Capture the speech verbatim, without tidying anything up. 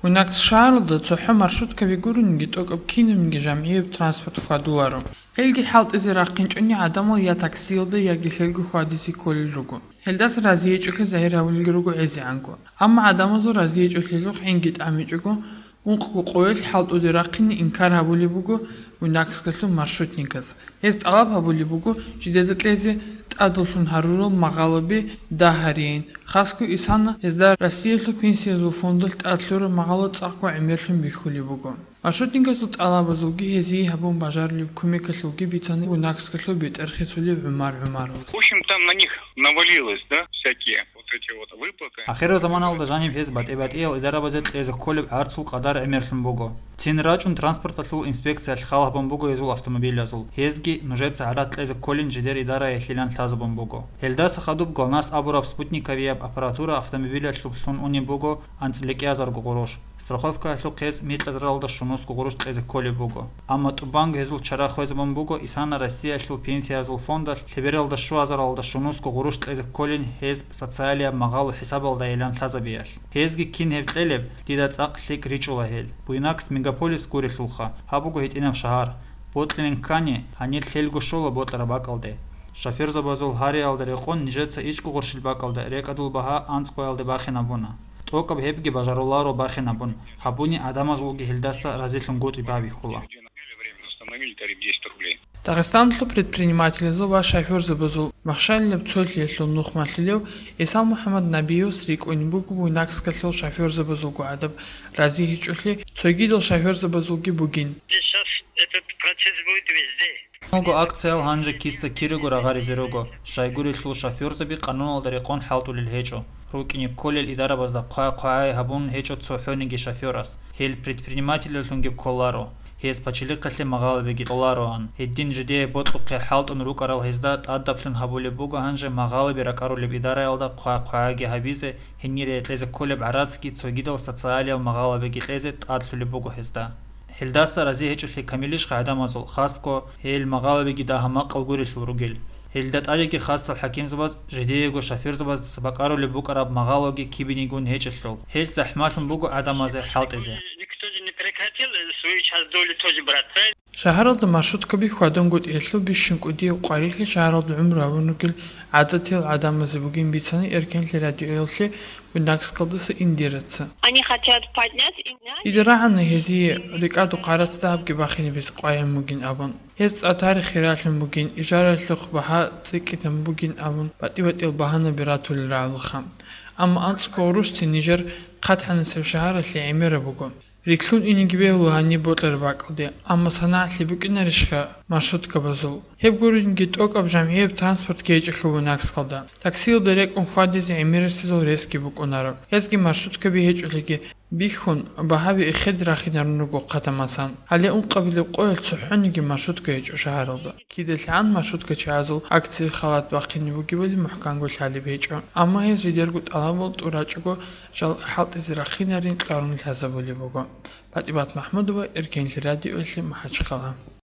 Буйнакск шагьаралда цохӀо маршруткаби гурониги тӀокӀаб кинабниги жамгӀияб транспорт хьвадуларо. Гьелги хӀалтӀизе рахъинчӀони гӀадамал я таксиялда, яги лъелго хьвадизе кколел руго. Гьелдаса разиячӀолъи загьир гьабулелги руго гӀезегӀанго. Амма гӀадамазул разиячӀолъиялъухъ гӀинги тӀамичӀого, ункъго къоялъ хӀалтӀуде рахъине инкар гьабулеб буго Буйнакскалъул маршрутниказ. Гьез тӀалаб гьабулеб буго жидеда кьезе тӀадаллъун гьарурал магъалаби дагь гьарейин, хасго исана гьезда Россиялъул пенсиязул фондалъ тӀад лъураб магъала цӀакъго гӀемерлъун бихьулеб буго. Маршрутникасул тӀалабазулги гьезие гьабун бажарулеб кумекалъулги бицана Буйнакскалъул бетӀер хисулев ГӀумар ГӀумаров. В общем, там на них навалилось, да, всякие вот эти вот выплаты. Ахирзаманалда жаниб гьез батӀи-батӀиял идарабазе кьезе кколеб гӀарцул къадар гӀемерлъун буго. Цин рачӀун транспорталъул инспекциялъ хал гьабун буго гьезул автомобилазул. Гьезги нужеца гӀарац кьезе кколин жидер идараялъилан лъазабун буго. Гьелдаса хадуб ГЛОНАСС абураб спутниковияб аппаратура автомобилалъув лъун унеб буго анцӀила кӀиазарго гъурущ. Страховкаялъухъ гьез микьазаралда щунусго гъурущ кьезе кколеб буго. Амма тӀубанго гьезул чара хвезабун буго исана Россиялъул пенсиязул фондалъ лъебералда щуазаралда щунусго гъурущ кьезе кколин гьез социалияб магъалу хӀисабалдайилан лъазабиялъ. Гьезги кин гьеб кьелеб, дида цӀакъ лъикӀ ричӀула гьел. Буйнакск мегаполис гурелъулха, гьаб буго гьитӀинаб шагьар. Бокьилин ккани, гьанир лъелго щола бокьараб бакӀалде. Шофёрзабазул гьариялда рекъон нижеца ичӀго гъурщил бакӀалда рекӀадул багьа анцӀгоялде бахинабуна. ТӀокӀаб гьебги бажаруларо бахинабун, гьабуни гӀадамазулги гьелдаса разилъунгутӀи бабихьула. Дагъистаналъул предпринимателазул ва шофёрзабазул махщалилаб цолъиялъул нух малъулев ГӀисал МухӀаммад Набиевас рикӀкӀунеб буго Буйнакскалъул шофёрзабазулго гӀадаб разигьичӀолъи, цогидал шофёрзабазулги бугин. Сейчас этот процесс будет везде. Нуго акциял гьанже киса кирего рагъаризе руго, щайгурелъул шофёрзаби къануналда рекъон хӀалтӀулел гьечӀо. РукӀине кколел идарабазда хъвай-хъвагӀай гьабун гьечӀо цохӀониги шофёрас. Гьел предпринимателалъунги кколаро. Гьез пачалихъалъе магъалабиги кьолароан. Гьедин жидее бокьухъе хӀалтӀун рукӀарал гьезда тӀадаблъун гьабулеб буго гьанже магъалаби ракӀарулеб идараялда хъвай-хъвагӀайги гьабизе, гьенире кьезе кколеб гӀарацги цогидал социалиял магъалабиги кьезе тӀадлъулеб буго гьезда. Гьелдаса рази гьечӀолъи камилищха гӀадамазул, хасго, гьел магъалабиги дагьа-макъал гурелъул ругел. Гьелда тӀадеги хасал хӀакимзабаз жидеего шофёрзабаздаса бакӀарулеб букӀараб магъалаги кибинигун гьечӀелъул, гьел захӀмалъун буго гӀадамазе хӀалтӀизе. Никто же не прекратил, э, свою часть доли тоже брать, правильно? Шагьаралда маршруткаби хьвадунгутӀиялъул бищун кӀудияб къварилъи шагьаралда гӀумру гьабун ругел гӀадатиял гӀадамазе бугин бицана Эркенлъи радиоялъе Буйнакскалдаса Индираца. Они хотят поднять и нянь. Дида рагӀана гьезие рикӀадухъ гӀарац дагьабги бахинабизе къваригӀун бугин абун. Гьез цӀа тарих хиралъун бугин, ижаралъухъ багьа цӀикӀкӀинабун бугин абун, батӀи-батӀиял багьанаби ратулел рагӀулаха. Амма анцӀго гъурущцин нижер хъатгӀанасеб шагьаралъе гӀемераб буго. Рилълъун инеги бегьула гьаниб бокьараб бакӀалде, амма санагӀалъи букӀинарищха маршруткабазул? Гьеб гуринги тӀокӀаб жамгӀияб транспорт гьечӀелъул Буйнакскалда. Таксиялда рекӀун хьвадизе гӀемерисезул ресги букӀунаро. Гьезги маршруткаби гьечӀолъиги бихьун, багьаби эхеде рахинарун руго хъатамасан. Гьале ункъабилеб къоялъ цохӀониги маршрутка гьечӀо шагьаралда. КидалъгӀан маршруткачиязул акцияе халат бахъине бугебали мухӀканго лъалеб гьечӀо, амма гьез жидерго тӀалабал тӀурачӀого жал хӀалтӀизе рахъинарин кьарун лъазабулеб буго. ПатӀимат МахӀмудова, Эркенлъи радиоялъе, МахӀачхъала.